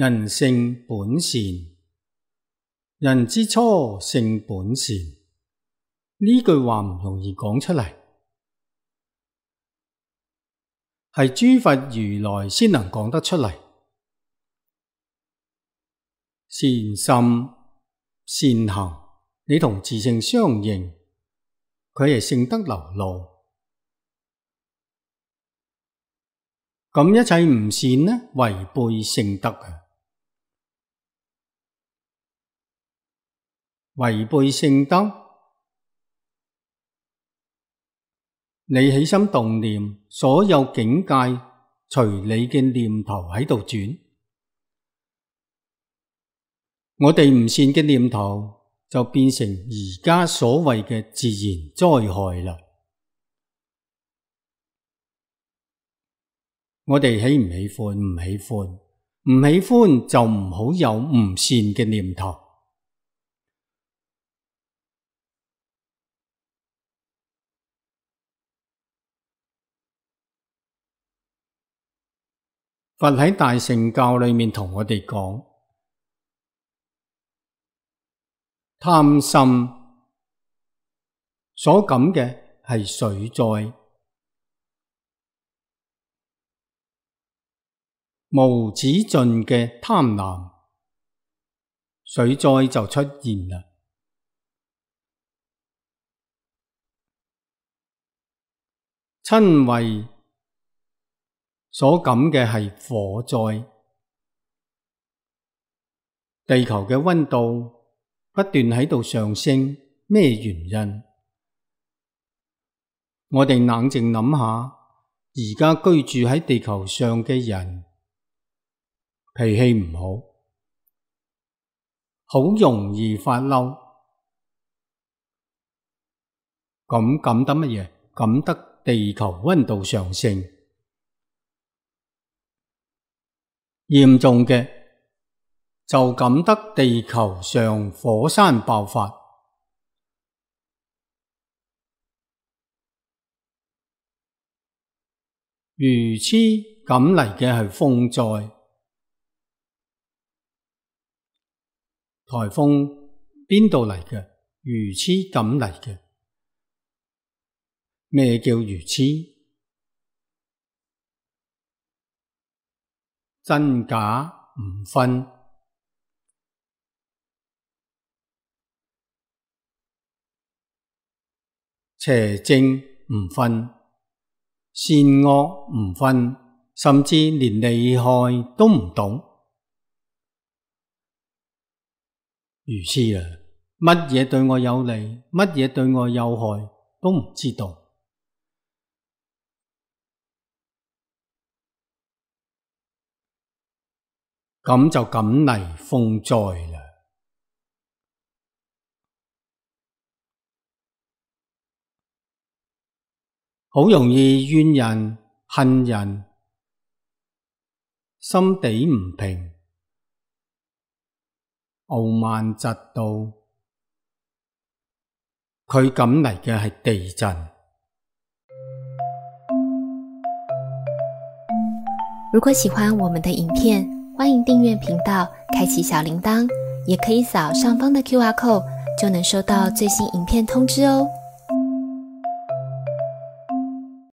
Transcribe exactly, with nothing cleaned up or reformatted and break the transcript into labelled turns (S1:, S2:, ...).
S1: 人性本善，人之初性本善。呢句話唔容易講出嚟，係諸佛如來先能講得出嚟。善心善行，你同自性相應，佢係性德流露。咁一切唔善呢，違背性德啊！違背性德，你起心動念，所有境界隨你嘅念頭喺度轉。我哋唔善嘅念頭就變成而家所謂嘅自然災害啦。我哋喜唔喜歡？唔喜歡，唔喜歡就唔好有唔善嘅念頭。佛喺大乘教裏面同我哋講，貪心所感嘅係水災，無止盡嘅貪婪，水災就出現啦。瞋恚所感嘅係火災，地球嘅溫度不斷喺度上升，咩原因？我哋冷靜諗下，而家居住喺地球上嘅人脾氣唔好，好容易發嬲，咁感得乜嘢？感得地球溫度上升。嚴重嘅就感得地球上火山爆發，愚痴感嚟嘅係風災，颱風邊度嚟嘅？愚痴感嚟嘅。咩叫愚痴？真假唔分，邪正唔分，善惡唔分，甚至連利害都唔懂。愚痴啊！乜嘢對我有利，乜嘢對我有害都唔知道。咁就感嚟風災啦。好容易怨人恨人，心地唔平，傲慢嫉妒，佢感嚟嘅係地震。
S2: 如果喜歡我們的影片，歡迎訂閱頻道，開啟小鈴鐺，也可以掃上方的 Q R code，就能收到最新影片通知哦。